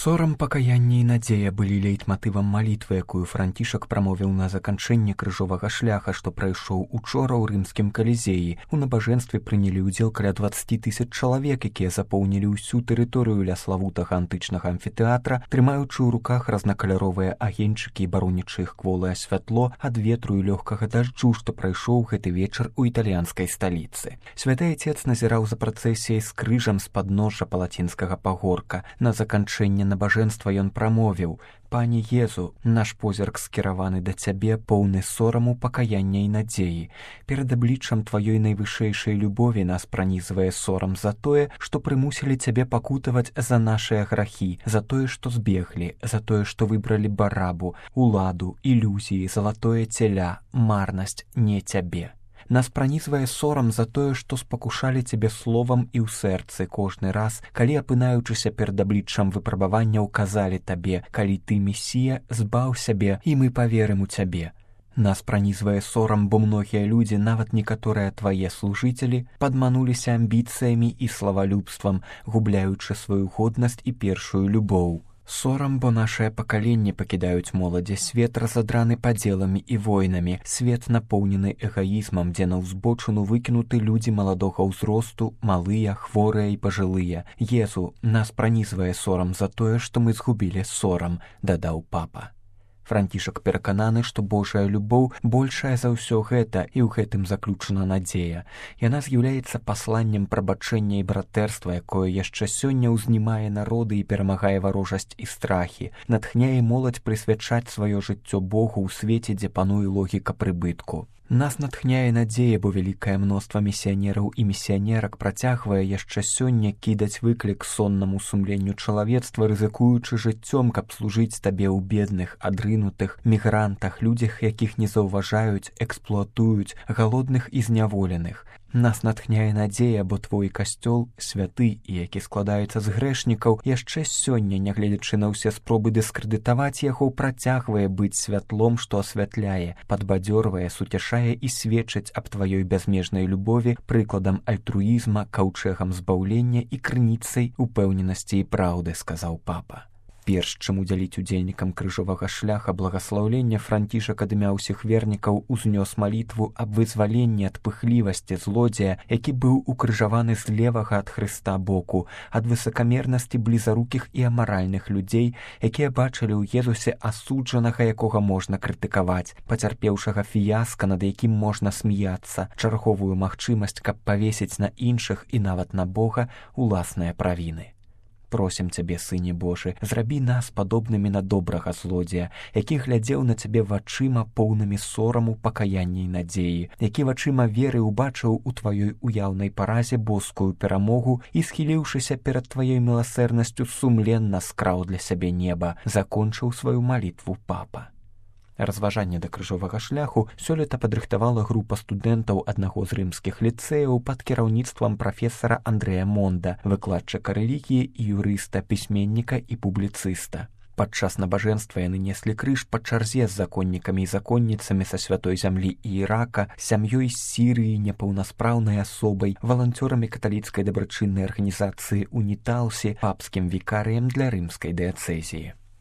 Сорам, пакаянне і надзея былі лейтматывам малітвы, якую Францішак прамовіў на заканчэнне крыжовага шляха, што прайшоў учора ў рымскім калізеі. У набажэнстве прынялі ўдзел каля 20 000 чалавек, якія запоўнілі ўсю тэрыторыю ля славутага антычнага амфітэатра, трымаючы ў руках разнакаляровыя агеньчыкі і баронячы іх кволае святло ад ветру і лёгкага дажджу, што прайшоў гэты вечар у італьянскай сталіцы. Святы Ацец назіраў за працэсіяй з крыжам з падножжа палацінскага пагорка. На заканчэнне набажэнства ён прамовіў: «Пане Езу, наш позірк скіраваны да цябе, поўны сораму, пакаяння і надзеі. Перад абліччам тваёй найвышэйшай любові нас пранізвае сорам за тое, што прымусілі цябе пакутаваць за нашыя грахі, за тое, што збеглі, за тое, што выбралі барабу, уладу, ілюзіі, залатое целя, марнасць, не цябе. Нас пранізвае сорам за тое, што спакушалі цябе словам і ў сэрцы кожны раз, калі, апынаючыся перад абліччам выпрабаванняў, казалі табе: калі ты месія, збаў сябе, і мы паверым у цябе. Нас пранізвае сорам, бо многія людзі, нават некаторыя твае служыцелі, падмануліся амбіцыямі і славалюбствам, губляючы сваю годнасць і першую любоў. Сорам, бо нашае пакаленне пакідаюць моладзі свет, разадраны падзеламі і войнамі, свет напоўнены эгаізмам, дзе на ўзбочыну выкінуты людзі маладога ўзросту, малыя, хворыя і пажылыя. Езу, нас пранізвае сорам за тое, што мы згубілі сорам, дадаў папа. Францішак перакананы, што Божая любоў большая за ўсё гэта, і ў гэтым заключана надзея. Яна з'яўляецца пасланнем прабачэння і братэрства, якое яшчэ сёння ўзнімае народы і перамагае варожасць і страхі, натхняе моладзь прысвячаць сваё жыццё Богу ў свеце, дзе пануе логіка прыбытку. Нас натхняе надзея, бо вялікае мноства місіянераў і місіянерак працягвае яшчэ сёння кідаць выклік соннаму сумленню чалавецтва, рызыкуючы жыццём, каб служыць табе ў бедных, адрынутых, мігрантах, людзях, якіх не заўважаюць, эксплуатуюць, галодных і зняволеных. Нас натхняе надзея, бо твой касцёл, святы і які складаецца з грэшнікаў, яшчэ сёння, нягледзячы на ўсе спробы дыскрэдытаваць яго, працягвае быць святлом, што асвятляе, падбадзёрвае, суцяшае і сведчыць аб тваёй бязмежнай любові, прыкладам альтруізма, каўчэгам збаўлення і крыніцай упэўненасці і праўды, сказаў папа. Перш чым удзяліць удзельнікам крыжовага шляха благаслаўлення, Францішак ад імя ўсіх вернікаў узнёс малітву аб вызваленні ад пыхлівасці злодзея, які быў укрыжаваны з левага ад Хрыста боку, ад высакамернасці блізарукіх і амаральных людзей, якія бачылі ў Езусе асуджанага, якога можна крытыкаваць, пацярпеўшага фіяска, над якім можна смяяцца, чарговую магчымасць, каб павесіць на іншых і нават на Бога уласныя правіны. Просім цябе, Сыне Божы, зрабі нас падобнымі на добрага злодзея, які глядзеў на цябе вачыма, поўнымі сораму, пакаяння і надзеі, які вачыма веры убачыў у тваёй уяўнай паразе боскую перамогу і, схіліўшыся перад тваёй міласэрнасцю, сумленна скраў для сябе неба, закончыў сваю малітву папа. Разважанне да крыжовага шляху сёлета падрыхтавала група студэнтаў аднаго з рымскіх ліцэяў пад кіраўніцтвам прафесара Андрэя Монда, выкладчыка рэлігіі і юрыста, пісьменніка і публіцыста. Падчас набажэнства яны неслі крыж па чарзе з законнікамі і законніцамі са святой зямлі і Ірака, сям'ёй з Сірыі, непаўнаспраўнай асобай, валанцёрамі каталіцкай дабрачыннай арганізацыі «Уніталсі», папскім вікарыем для рымскай дыяцэзіі.